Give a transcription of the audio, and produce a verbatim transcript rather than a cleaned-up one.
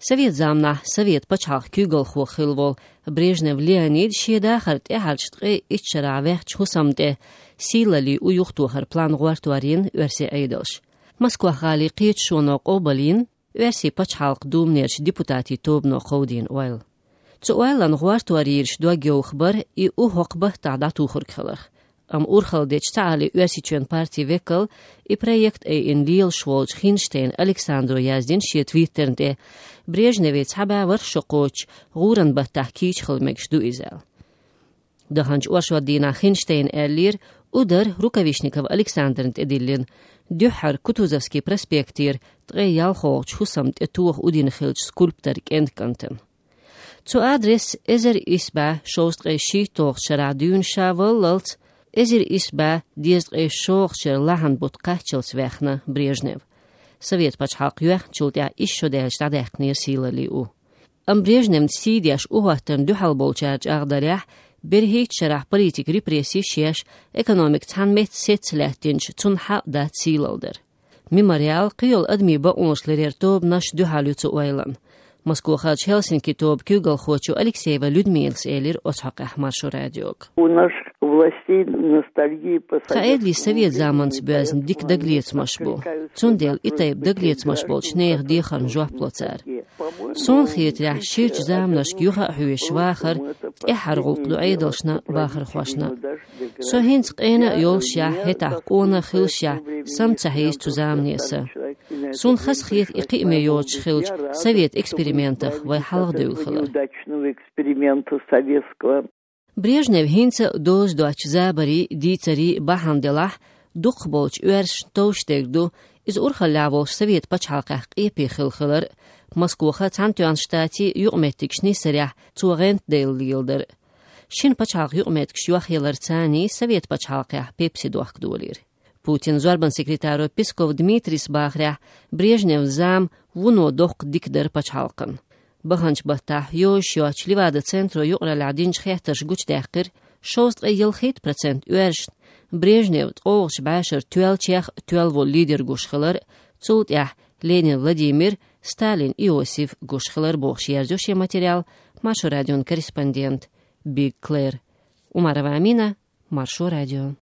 Совет заманахь Совет пачхьалкх куьйгалхо хилла волу Брежнев Леонид шен дахар тӀаьхьарчу ткъе итт шарахь ваьхначу хӀусамна тӀе сийлаллин у юхатохар план гӀортор йина оьрсийн Ӏедалша. Москох гӀалин кхеташоно къобалйина, оьрсийн пачхьалкхан думанерчу депутатийн тобано кховдийна ойла. Цу ойланна гӀортор йийраш дог йовха бара и у хӀокху баттахь дӀатухург хиларх. Амма урхалла дечу цхьааллин Оьрсийчоьнан партин векал, и проект айина лелаш волчу Хинштейн Александро яздина шен твиттерна тӀе, Брежневан цхьа бӀе ворхӀ шо кхочуш гӀуран баттахь кийча хила мегаш ду иза аьлла. Даханчу оршот дийнахь Хинштейна аьллера, у дара Рукавишников Александрна тӀедиллина, дуьххьара Кутузовский проспектера ткъе ялхолгӀачу хӀусамна тӀе тоха у дина хиллачу скульптор кӀентан кӀантана. Цу адресс эзар исс бӀе шовзткъе шийтталгӀачу шарахь дуьйна ша валлалц, эзар исс бӀе дезткъе шолгӀачу шеран лахьан бутт кхаччалц ваьхна Брежнев. Совет пачхьалкх йоьхначул тӀаьхьа исс шо даьлча дӀадаьккхинера сийлаллин у. Амма Брежневна сий деш у хӀоттарна дуьхьал болчара чӀагӀдарехь, берхӀиттачу шарахь политикан репрессеш еш, экономика цхьана метта сецца лаьттинчу цунна хьакъ дац сийлалла дар. Мемориал, кхийолу адамийн бакъонаш ларъяран тобанаш дуьхьал ю цу ойланна. Москохарчу Хельсинки тобан куьйгалхочо Алексеева Людмилас элира оцу хьокъехь Маршо радиога. У наших властей ностальгия по... Тхан Ӏедалан совет заманца боьзна дика дагалецамаш бу. Цундела и тайпа дагалецамаш болчу нехан дехарна жоп ло цара. Суна хетарехь, ширачу заманашка юха а хьоьжуш вахар тӀаьххьара гӀуллакх ду Ӏедалшна, бахархошна. Со хӀинца къена а йолушехь, хӀетахь къона а хилашехь, са ма ца хьийза цу замане сан. Суна хазахета и кхиаме йоцуш хиллачу совет экспериментах вай хьалхадевлла хилар. Брежнев хӀинца а доза доцчу забарийн, дийцарийн бахьана делахь, дукхахболчу оьрсашна товш дерг ду, иза урхаллехь волчу совет пачхьалкхехь къепе хилла хилар, Москоха Цхьаьнатоьхначу Штатийн юкъаметтигаш нисарехь цо гӀентаделла леладар. Шина пачхьалкхан юкъаметтигаш йохъяларца царний совет пачхьалкхехь пепси дохка долийра. Путинан зорбанан секретаро Песков Дмитрийс бахарехь, Брежневн зама вуно доккха дика дара пачхьалкхана. Баханчу баттахь йозуш йоцчу Левада-центро юкъараллехь динчу хеттарша гучудаьккхира, шовзткъе ялхитта процент оьрсашна Брежнев ткъолгӀачу бӀешарчу тоьллачех а тоьлла волу лидер гуш хилар, цул тӀаьхьа Ленин Владимир, Сталин Иосиф гуш хилар, бохуш, ерзайо шен материал Маршо радион корреспондента Биг Клэр. Умарова Амина, Маршо радио.